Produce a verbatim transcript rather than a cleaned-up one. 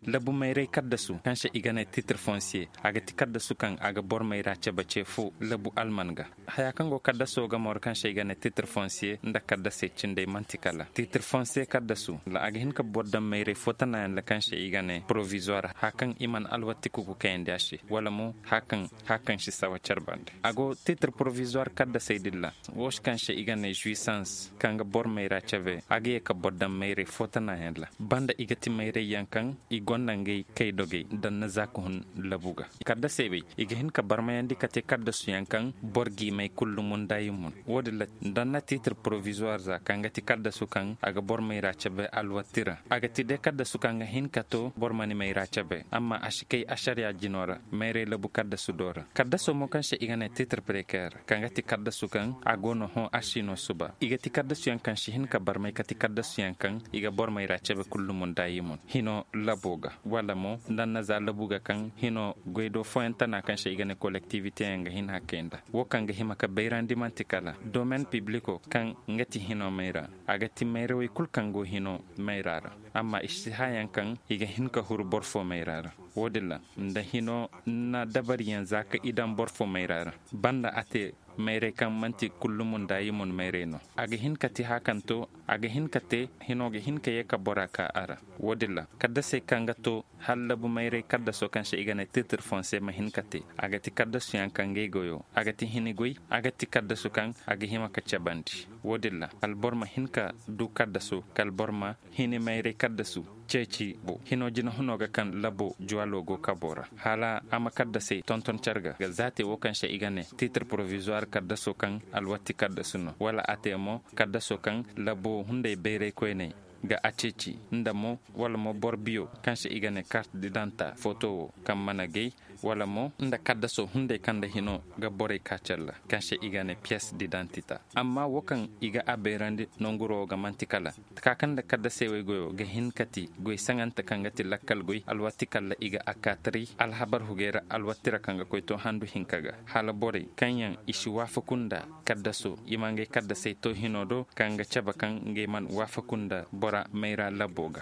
Labu mayray kaddasu kaŋ se i ga ne titre fonsiye, a ga ti kaddasu kaŋ a ga boro mayra cebe ce fo labu alman ga. Haya kaŋ go kaddaso ga mooro kaŋ se i ga ne titre fonsiye nda kaddasey cindey man'ti kala titre fonsiye kaddasu, a ga hin ka boro daŋ mayray fo tanayaŋ ra kaŋ se i ga ne porovizuwar haya kaŋ i mana alwatti kuku kayandi a se, wala mo haya kaŋ si sawa care bande. A go titre porovizuwar kaddasey din ra, wo se kaŋ se i ga ne zuisans kaŋ ga boro mayra cebe, a ga ye ka boro daŋ mayray fo tanayaŋ ra banda i ga ti mayray yaŋ kaŋ i gonda ngey kay dogey daŋ na za ka hun labu ga. Kaddasey wey, i ga hin ka barmayandi ka te kaddasuyaŋ kaŋ boro g'i may kullu munda i mun. Wo- din ra daŋ na titre porovizuwar za kaŋ ga ti kaddasu kaŋ a ga boro mayra cebe alwatti ra, a ga ti day kaddasu kaŋ ga hin ka to boro ma ni mayra cebe amma a si kay ašariya jino ra. Mayray labu kaddasu do ra kaddaso mo kaŋ se i ga ne titre preker kaŋ ga ti kaddasu kaŋ a go no hõ a si no suba i ga ti kaddasuyaŋ kaŋ si hin ka barmay ka ti kaddasuyaŋ kaŋ i ga boro mayra cebe kullu munda i mun hino labo ga, wala mo nda nna za labu ga kaŋ hino goy do fooyaŋ tana kaŋ se i ga ne kolektiwite yaŋ ga hin hakkey nda wo kaŋ ga hima ka bayrandi man'ti kala domen pibliko kaŋ nga ti hino mayra. A ga ti mayra wey kulu kaŋ go hino mayra ra, amma i si haayaŋ kaŋ i ga hin ka huru boro fo mayra ra. Wo- din ra nda hino na dabariyaŋ za ka i daŋ boro fo mayra ra, banda a te mayray kaŋ man'ti kullumu nda i mun mayray no. A ga hin ka te haya kaŋ to, a ga hin ka te hino ga hin ka ye ka bora ka a ra. Wo- din ra kaddasey kaŋ ga to hala labu mayray kaddaso kaŋ se i ga ne titre fonse ma hin ka te. A ga ti kaddasuyaŋ kaŋ ga ay goyo a ga ti hini goy, a ga ti kaddasu kaŋ a ga hima ka cabandi. Wo- din ra kala boro ma hin ka du kaddaso kala boro ma hini mayray kaddasu ceeci bo hino jinahuno ga kaŋ labo juwalo go kabo ra hala a ma kaddasey tonton care ga za te wo kaŋ se i ga ne titre porovizuwar kaddaso kaŋ alwatti kaddasu no wala a te mo kaddaso kaŋ labo hunday bayray koyney ga a ceeci nda mo wala mo boro biyo kaŋ se i ga ne kart didanta foto wo kaŋ mana gay wala mo nda kaddaso hunday kaŋ nda hino ga borey ka care ra kaŋ se i ga ne piyes didantita. Amma wo kaŋ i ga a bayrandi nanguro wo ga man'ti kala ka kaŋ nda kaddasey wey goyo ga hin ka ti goy saŋante kaŋ ga ti lakkal goy alwati kalla i ga a kaataray alhabar hugey ra alwati ra kaŋ ga koy to handu hinka ga hala borey kaŋ yaŋ i si waafaku nda kaddaso i ma ngey kaddasey to hino do kaŋ ga cabe kaŋ ngey mana waafaku nda bora mayra labbo ga.